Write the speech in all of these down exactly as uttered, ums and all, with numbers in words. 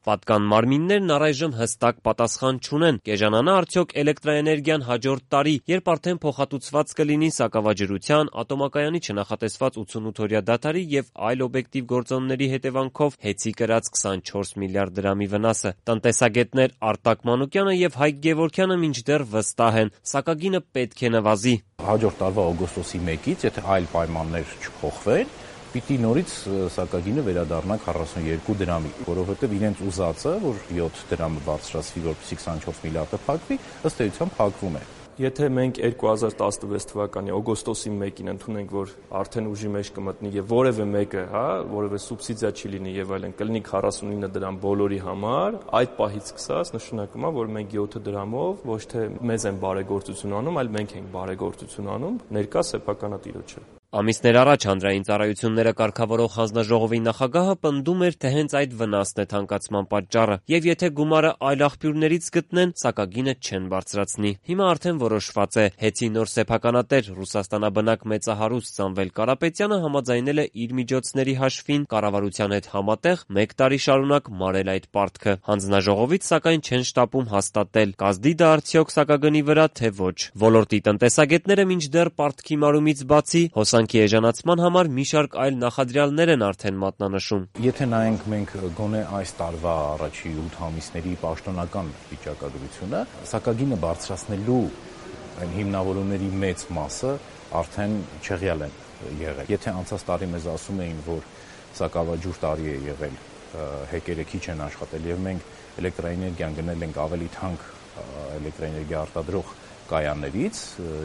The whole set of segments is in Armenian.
Պատկան մարմիններն առայժմ հստակ պատասխան չունեն. կեժանանա արդյոք էլեկտրաէներգիան հաջորդ տարի, երբ արդեն փոխհատուցված կլինի սակավաջրության, ատոմակայանի չնախատեսված ութսունութօրյա դադարի եւ այլ օբյեկտիվ գործոնների հետևանքով հեծի կրած քսանչորս միլիարդ դրամի վնասը։ Տնտեսագետներ Արտակ Մանուկյանը եւ Հայկ Գևորգյանը մինչդեռ վստահ են՝ սակագինը պետք է նվազի։ Հաջորդ տարվա օգոստոսի մեկից, եթե այլ պայմաններ չփոխվեն, պիտի նորից սակագինը վերադառնա քառասունյոթ դրամի, որովհետև իրենց ուզածը, որ յոթ դրամը բարձրացվի, որպեսզի քսանչորս միլիարդը փակվի, ըստ էության փակվում է։ Եթե մենք երկու հազար տասնվեց թվականի օգոստոսի մեկին ընդունենք, որ արդեն ուժի մեջ կմտնի եւ որևէ մեկը, հա, որևէ սուբսիդիա չի լինի եւ այլն, կլինի քառասունինը դրամ բոլորի համար, այդ պահից սկսած նշանակում է, որ մենք յոթ դրամով ոչ թե մեզ են բարեգործություն անում, այլ մենք ենք բարեգործություն անում ներկա սեփականատիրոջը։ Ամիսներ առաջ Հանրային ծառայությունները կարգավորող հանձնաժողովի նախագահը պնդում էր, թե հենց այդ վնասն է թանկացման պատճառը, եւ եթե գումարը այլ աղբյուրներից գտնեն, սակագինը չեն բարձրացնի։ Հիմա արդեն որոշված է, հեծի նոր սեփականատեր Ռուսաստանաբնակ մեծահարուստ Սամվել Կարապետյանը համաձայնել է իր միջոցների հաշվին կառավարության հետ համատեղ մեկ տարի շարունակ մարել այդ պարտքը։ Հանձնաժողովից սակայն չեն շտապում հաստատել՝ կազդի դա արդյոք սակագնի վրա, թե ոչ։ Ոլորտի տնտեսագետները մինչդեռ պարտքի մարումից բացի հոսանքի էժանացման համար մի շարք այլ նախադրյալներ են արդեն մատնանշում։ Եթե նայենք մենք գոնե այս տարվա առաջի ութ ամիսների պաշտոնական վիճակագրությունը, սակագինը բարձրացնելու այն հիմնավորումների մեծ մասը արդեն չեղյալ են եղել։ Եթե անցած տարի մեզ ասում էին, որ սակավաջուր տարի է եղել, հեկերը քիչ են աշխատել եւ մենք էլեկտրաէներգիան գնել ենք ավելի թանկ էլեկտրաէներգիա արտադրող կայաններից,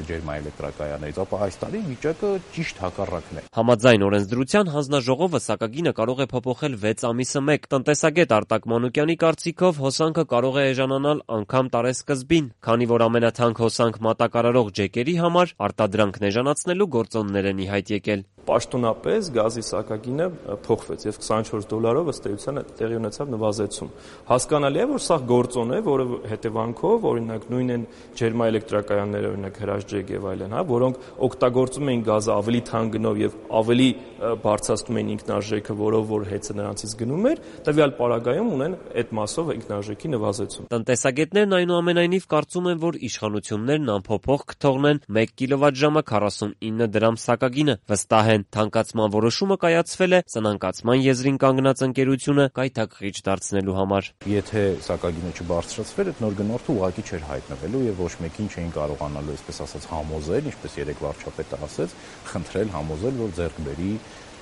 ջերմաէլեկտրակայաններից, ապա այս տարի վիճակը ճիշտ հակառակն է։ Համաձայն օրենսդրության հանձնաժողովը սակագինը կարող է փոփոխել վեց ամիսը մեկ։ Տնտեսագետ Արտակ Մանուկյանի կարծիքով հոսանքը կարող է էժանանալ անգամ տարեսկզբին, քանի որ ամենաթանկ հոսանք մատակարարող ջեկերի համար արտադրանքն էժանացնելու գործոններ են ի հայտ եկել։ Պաշտոնապես գազի սակագինը փոխվեց եւ քսանչորս դոլարով ըստ էության տեղի ունեցավ նվազեցում։ Հասկանալի է, որ սա գործոն է, որը հետևանքով օրինակ նույն են ջերմաէլեկտրակայանները, օրինակ հրաշքջեկ եւ այլն, հա, որոնք օգտագործում էին գազը ավելի թանկ գնով եւ ավելի բարձրացնում էին ինքնարժեքը, որով որ հեծը նրանցից գնում էր, տվյալ պարագայում ունեն այդ մասով ինքնարժեքի նվազեցում։ Տնտեսագետներն այնուամենայնիվ կարծում են, որ իշխանություններն անփոփոխ կթողնեն մեկ կիլովատժամը քառասունինը դրամ սակագինը։ Վստահ են, թանկացման որոշումը կայացվել է սնանկացման եզրին կանգնած ընկերությունը կայթակղիչ դարձնելու համար։ Եթե սակագինը չբարձրացվեր, այդ նոր գնորդը ուղղակի չէր հայտնվելու եւ ոչ մեկին չէին կարողանալու, այսպես ասած, համոզել, ինչպես երեք վարչապետը ասեց, խնդրել համոզել, որ ձեռք բերի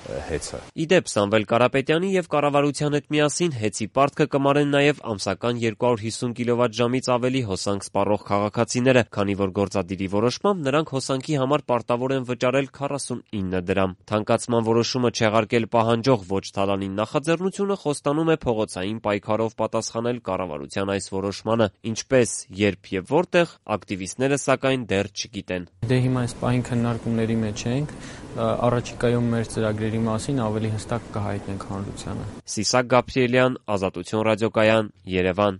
հեծը։ Իդեպ Սամվել Կարապետյանի եւ կառավարության հետ միասին հեծի պարտքը կմարեն նաեւ ամսական երկու հարյուր հիսուն կիլովատժամից ավելի հոսանք սպառող քաղաքացիները, քանի որ գործադիրի որոշմամբ նրանք հոսանքի համար պարտավոր են վճարել քառասունինը դրամ։ Թանկացման որոշումը չեղարկել պահանջող ոչ թալանին նախաձեռնությունը խոստանում է փողոցային պայքարով պատասխանել կառավարության այս որոշմանը, ինչպես, երբ եւ որտեղ ակտիվիստները սակայն դեռ չգիտեն։ Դե հիմա այս պահին քննարկումների մեջ ենք, առաջիկայում մեր ծրագրերի մասին ավելի հստակ կհայտնենք հանրությանը։ Սիսակ Գաբրիելյան, Ազատություն ռադիոկայան, Երևան։